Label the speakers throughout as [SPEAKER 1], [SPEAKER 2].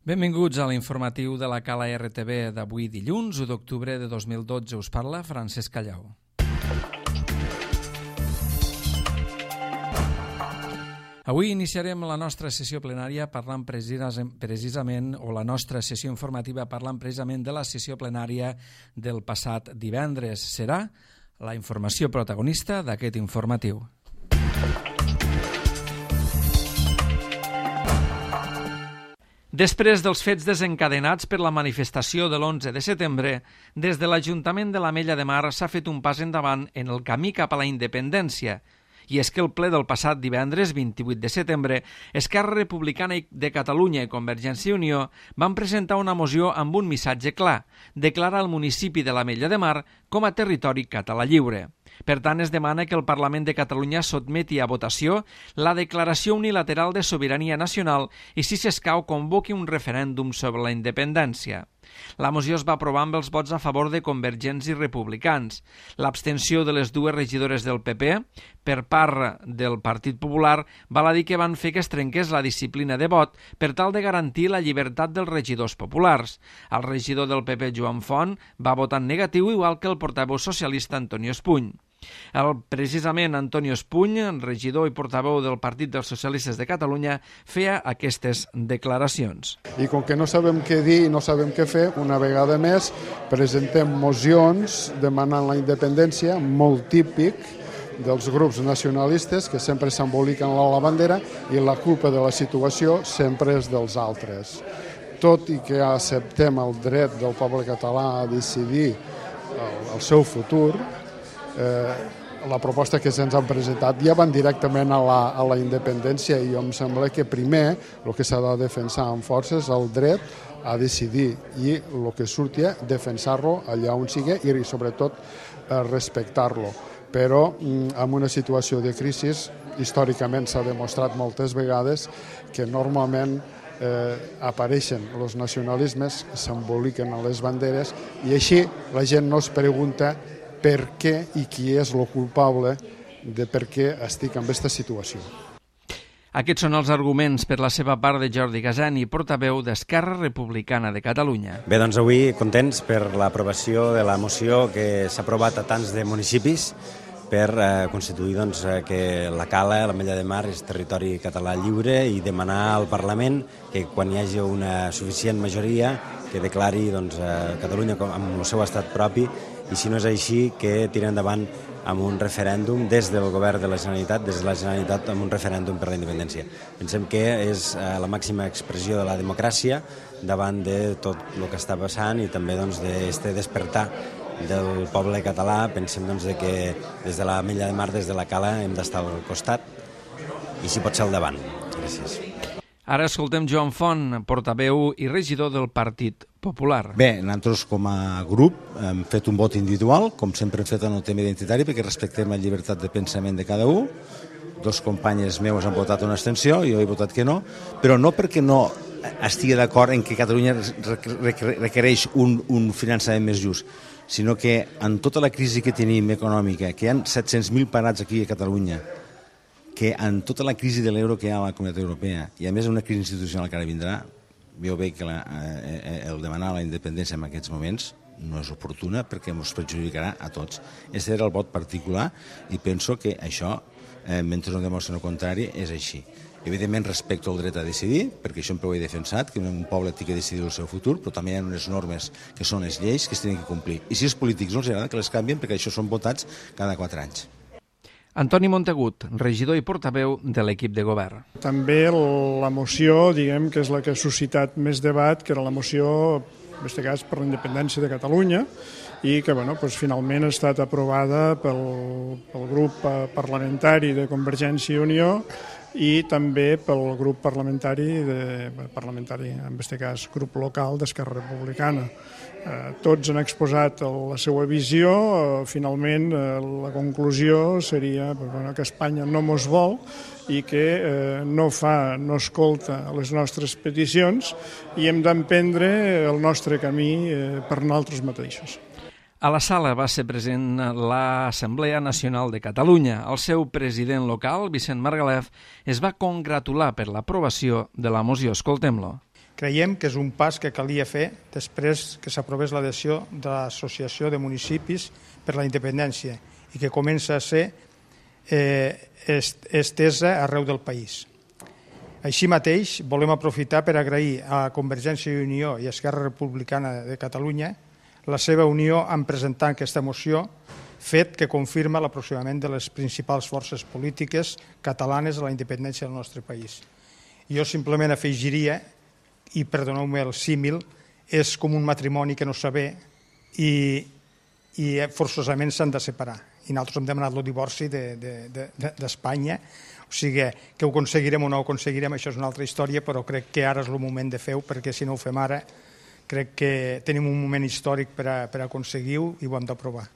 [SPEAKER 1] Benvinguts a l'informatiu de la Cala RTV d'avui dilluns, 1 d'octubre de 2012. Us parla Francesc Callau. Avui iniciarem la nostra sessió plenària parlant precisament, o la nostra sessió informativa parlant precisament de la sessió plenària del passat divendres. Serà la informació protagonista d'aquest informatiu. Després dels fets desencadenats per la manifestació de l'11 de setembre, des de l'Ajuntament de l'Ametlla de Mar s'ha fet un pas endavant en el camí cap a la independència. I és que el ple del passat divendres, 28 de setembre, Esquerra Republicana de Catalunya i Convergència i Unió van presentar una moció amb un missatge clar: declarar el municipi de l'Ametlla de Mar com a territori català lliure. Per tant, es demana que el Parlament de Catalunya sotmeti a votació la declaració unilateral de sobirania nacional i, si s'escau, convoqui un referèndum sobre la independència. La moció es va aprovar amb els vots a favor de Convergents i Republicans. L'abstenció de les dues regidores del PP per part del Partit Popular val a dir que van fer que es trenqués la disciplina de vot per tal de garantir la llibertat dels regidors populars. El regidor del PP, Joan Font, va votar en negatiu, igual que el portaveu socialista Antonio Espuny. Precisament Antonio Espuny, regidor i portaveu del Partit dels Socialistes de Catalunya, feia aquestes declaracions.
[SPEAKER 2] I com que no sabem què dir i no sabem què fer, una vegada més presentem mocions demanant la independència, molt típic dels grups nacionalistes que sempre s'emboliquen a la bandera i la culpa de la situació sempre és dels altres. Tot i que acceptem el dret del poble català a decidir el seu futur, la proposta que se'ns han presentat ja van directament a la independència i em sembla que primer el que s'ha de defensar amb força és el dret a decidir i el que surti defensar-lo allà on sigui i sobretot respectar-lo. Però en una situació de crisi històricament s'ha demostrat moltes vegades que normalment apareixen els nacionalismes, s'emboliquen a les banderes i així la gent no es pregunta per què i qui és el culpable de per què estic en aquesta situació.
[SPEAKER 1] Aquests són els arguments per la seva part de Jordi Gasani, portaveu d'Esquerra Republicana de Catalunya.
[SPEAKER 3] Bé, doncs avui contents per l'aprovació de la moció que s'ha aprovat a tants de municipis per constituir que la Cala, l'Ametlla de Mar, és territori català lliure i demanar al Parlament que quan hi hagi una suficient majoria que declari Catalunya amb el seu estat propi i si no és així que tiri endavant amb un referèndum des del govern de la Generalitat, des de la Generalitat amb un referèndum per la independència. Pensem que és la màxima expressió de la democràcia davant de tot el que està passant i també d'aquest despertar del poble català. Pensem que des de l'Ametlla de Mar, des de la Cala, hem d'estar al costat i si pot ser al davant. Gràcies.
[SPEAKER 1] Ara escoltem Joan Font, portaveu i regidor del Partit Popular.
[SPEAKER 4] Bé, nosaltres com a grup hem fet un vot individual, com sempre hem fet en el tema identitari, perquè respectem la llibertat de pensament de cada un. Dos companyes meus han votat una abstenció, jo he votat que no, però no perquè no estigui d'acord en que Catalunya requereix un finançament més just, sinó que en tota la crisi que tenim econòmica, que hi ha 700.000 parats aquí a Catalunya, que en tota la crisi de l'euro que hi ha a la Comunitat Europea i a més una crisi institucional que ara vindrà, jo veig que el demanar la independència en aquests moments no és oportuna perquè ens perjudicarà a tots. Aquest era el vot particular i penso que això, mentre no demostren el contrari, és així. Evidentment respecto el dret a decidir, perquè això sempre ho he defensat, que un poble té que decidir el seu futur, però també hi ha unes normes que són les lleis que es tenen que complir. I si els polítics no els agrada, que les canvien, perquè això són votats cada 4 anys.
[SPEAKER 1] Antoni Montagut, regidor i portaveu de l'equip de govern.
[SPEAKER 5] També la moció, diguem que és la que ha suscitat més debat, que era la moció, en aquest cas, per la independència de Catalunya, i que finalment ha estat aprovada pel grup parlamentari de Convergència i Unió i també pel grup parlamentari, en aquest cas, grup local d'Esquerra Republicana. Tots han exposat la seva visió, finalment la conclusió seria que Espanya no mos vol i que no escolta les nostres peticions i hem d'emprendre el nostre camí per nosaltres mateixos.
[SPEAKER 1] A la sala va ser present l'Assemblea Nacional de Catalunya. El seu president local, Vicent Margalef, es va congratular per l'aprovació de la moció. Escoltem-lo.
[SPEAKER 5] Creiem que és un pas que calia fer després que s'aprovés l'adhesió de l'Associació de Municipis per la Independència i que comença a ser estesa arreu del país. Així mateix, volem aprofitar per agrair a Convergència i Unió i a Esquerra Republicana de Catalunya la seva unió en presentar aquesta moció, fet que confirma l'aproximament de les principals forces polítiques catalanes a la independència del nostre país. Jo simplement afegiria, i perdoneu-me el símil, és com un matrimoni que no s'ha bé i forçosament s'han de separar. I nosaltres hem demanat el divorci d'Espanya. O sigui, que ho aconseguirem o no ho aconseguirem, això és una altra història, però crec que ara és el moment de fer-ho, perquè si no ho fem ara, crec que tenim un moment històric per a aconseguir-ho i ho hem d'aprovar.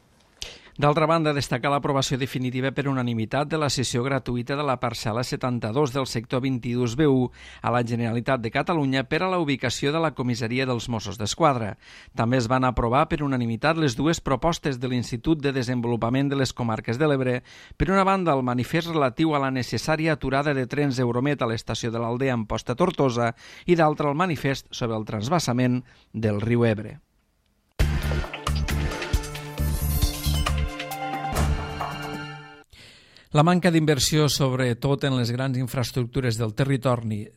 [SPEAKER 1] D'altra banda, destacar l'aprovació definitiva per unanimitat de la cessió gratuïta de la parcel·la 72 del sector 22B1 a la Generalitat de Catalunya per a la ubicació de la comissaria dels Mossos d'Esquadra. També es van aprovar per unanimitat les dues propostes de l'Institut de Desenvolupament de les Comarques de l'Ebre. Per una banda, el manifest relatiu a la necessària aturada de trens Euromet a l'estació de l'Aldea Amposta Tortosa i d'altra el manifest sobre el transvasament del riu Ebre. La manca d'inversió, sobretot en les grans infraestructures del territori,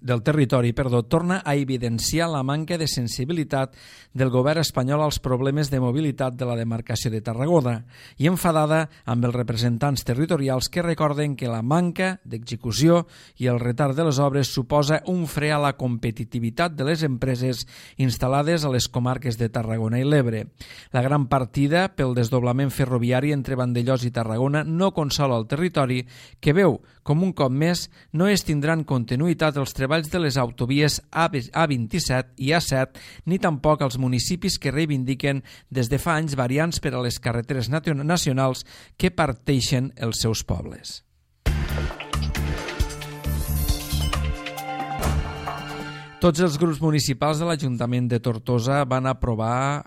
[SPEAKER 1] torna a evidenciar la manca de sensibilitat del govern espanyol als problemes de mobilitat de la demarcació de Tarragona i enfadada amb els representants territorials que recorden que la manca d'execució i el retard de les obres suposa un fre a la competitivitat de les empreses instal·lades a les comarques de Tarragona i l'Ebre. La gran partida pel desdoblament ferroviari entre Vandellòs i Tarragona no consola el territori, que veu com un cop més no es tindran continuïtat els treballs de les autovies A27 i A7 ni tampoc els municipis que reivindiquen des de fa anys variants per a les carreteres nacionals que parteixen els seus pobles. Tots els grups municipals de l'Ajuntament de Tortosa van aprovar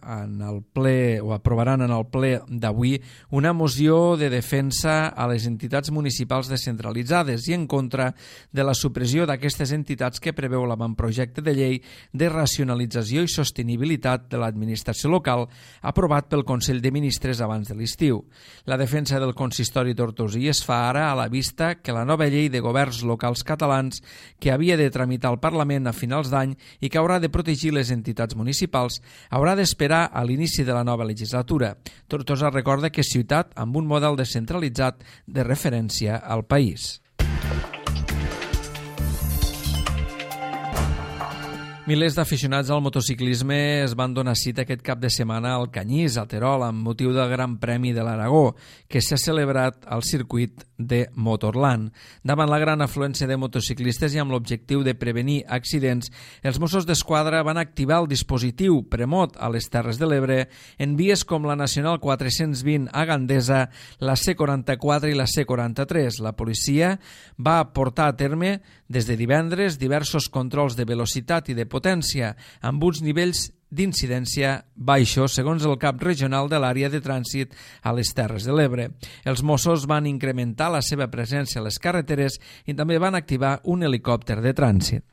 [SPEAKER 1] aprovaran en el ple d'avui una moció de defensa a les entitats municipals descentralitzades i en contra de la supressió d'aquestes entitats que preveu l'avantprojecte de llei de racionalització i sostenibilitat de l'administració local aprovat pel Consell de Ministres abans de l'estiu. La defensa del consistori tortosí es fa ara a la vista que la nova llei de governs locals catalans que havia de tramitar al Parlament a finals d'any i que haurà de protegir les entitats municipals, haurà d'esperar a l'inici de la nova legislatura. Tortosa recorda que és ciutat amb un model descentralitzat de referència al país. Milers d'aficionats al motociclisme es van donar cita aquest cap de setmana al Canyís, a Terol, amb motiu del Gran Premi de l'Aragó, que s'ha celebrat al circuit de Motorland. Davant la gran afluència de motociclistes i amb l'objectiu de prevenir accidents, els Mossos d'Esquadra van activar el dispositiu Premot a les Terres de l'Ebre en vies com la Nacional 420 a Gandesa, la C44 i la C43. La policia va portar a terme des de divendres diversos controls de velocitat i de potència amb uns nivells d'incidència baixos, segons el cap regional de l'àrea de trànsit a les Terres de l'Ebre. Els Mossos van incrementar la seva presència a les carreteres i també van activar un helicòpter de trànsit.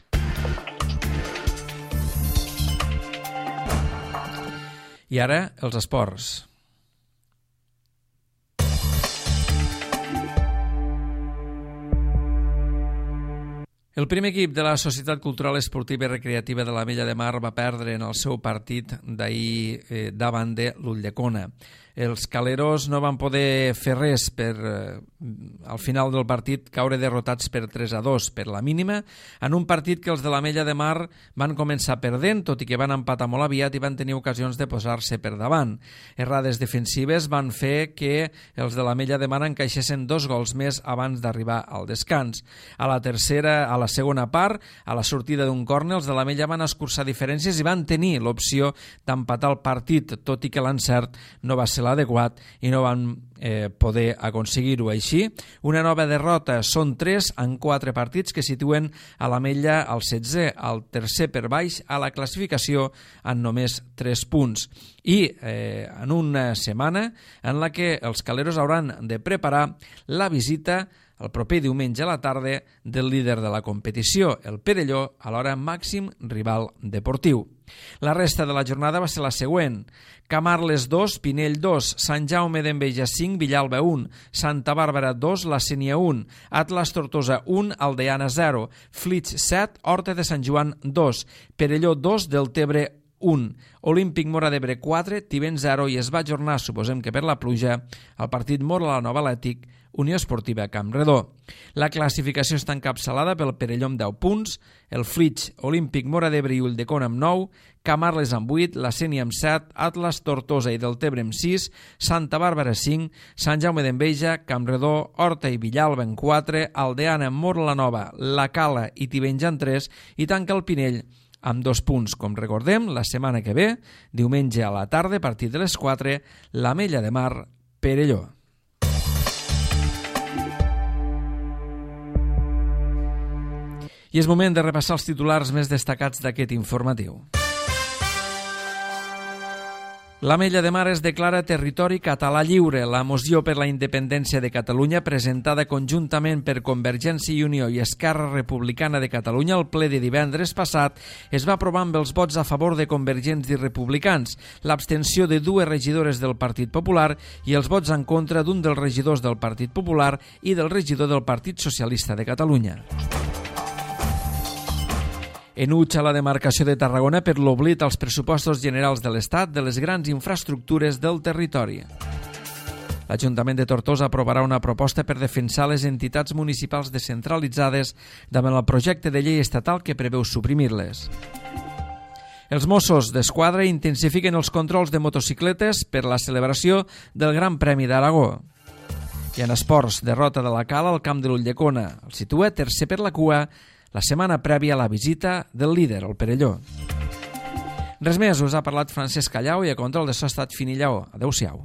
[SPEAKER 1] I ara, els esports. El primer equip de la Societat Cultural Esportiva i Recreativa de l'Ametlla de Mar va perdre en el seu partit d'ahir davant de l'Ulldecona. Els caleros no van poder fer res per, al final del partit, caure derrotats per 3-2 per la mínima, en un partit que els de l'Ametlla de Mar van començar perdent, tot i que van empatar molt aviat i van tenir ocasions de posar-se per davant. Errades defensives van fer que els de l'Ametlla de Mar encaixessin 2 gols més abans d'arribar al descans. A la segona part, a la sortida d'un córner, els de l'Ametlla van escurçar diferències i van tenir l'opció d'empatar el partit, tot i que l'encert no va ser adequat i no van poder aconseguir-ho. Així, una nova derrota. Són 3 en 4 partits que situen a l'Ametlla al 16è, al tercer per baix a la classificació en només 3 punts. I en una setmana en la que els caleros hauran de preparar la visita el proper diumenge a la tarda del líder de la competició, el Perelló, alhora màxim rival deportiu. La resta de la jornada va ser la següent: Camarles 2, Pinell 2, Sant Jaume d'Enveja 5, Villalba 1, Santa Bàrbara 2, La Sénia 1, Atlas Tortosa 1, Aldeana 0, Flix 7, Horta de Sant Joan 2, Perelló 2, Deltebre 1, Olímpic Móra d'Ebre 4, Tivenys 0 i es va ajornar, suposem que per la pluja, el partit Móra la Nova Atlètic, Unió Esportiva Campredó. La classificació està encapçalada pel Perelló amb 10 punts, el Flix, Olímpic Móra d'Ebre i Ulldecona amb 9, Camarles amb 8, La Sénia amb 7, Atlas, Tortosa i Deltebre amb 6, Santa Bàrbara 5, Sant Jaume d'Enveja, Campredó, Horta i Villalba amb 4, Aldeana, Móra la Nova, La Cala i Tivenys amb 3 i tanca el Pinell amb 2 punts. Com recordem, la setmana que ve, diumenge a la tarda, a partir de les 4, l'Ametlla de Mar, Perelló. I és moment de repassar els titulars més destacats d'aquest informatiu. L'Ametlla de Mar es declara territori català lliure. La moció per la independència de Catalunya, presentada conjuntament per Convergència i Unió i Esquerra Republicana de Catalunya al ple de divendres passat, es va aprovar amb els vots a favor de convergents i republicans, l'abstenció de 2 regidores del Partit Popular i els vots en contra d'un dels regidors del Partit Popular i del regidor del Partit Socialista de Catalunya. Enutja la demarcació de Tarragona per l'oblit als pressupostos generals de l'Estat de les grans infraestructures del territori. L'Ajuntament de Tortosa aprovarà una proposta per defensar les entitats municipals descentralitzades davant el projecte de llei estatal que preveu suprimir-les. Els Mossos d'Esquadra intensifiquen els controls de motocicletes per la celebració del Gran Premi d'Aragó. I en esports, derrota de la Cala al camp de l'Ulldecona. El situa tercer per la cua la setmana prèvia a la visita del líder, el Perelló. Res més, us ha parlat Francesc Callau i a control de so ha estat Fini Lleó. Adéu-siau.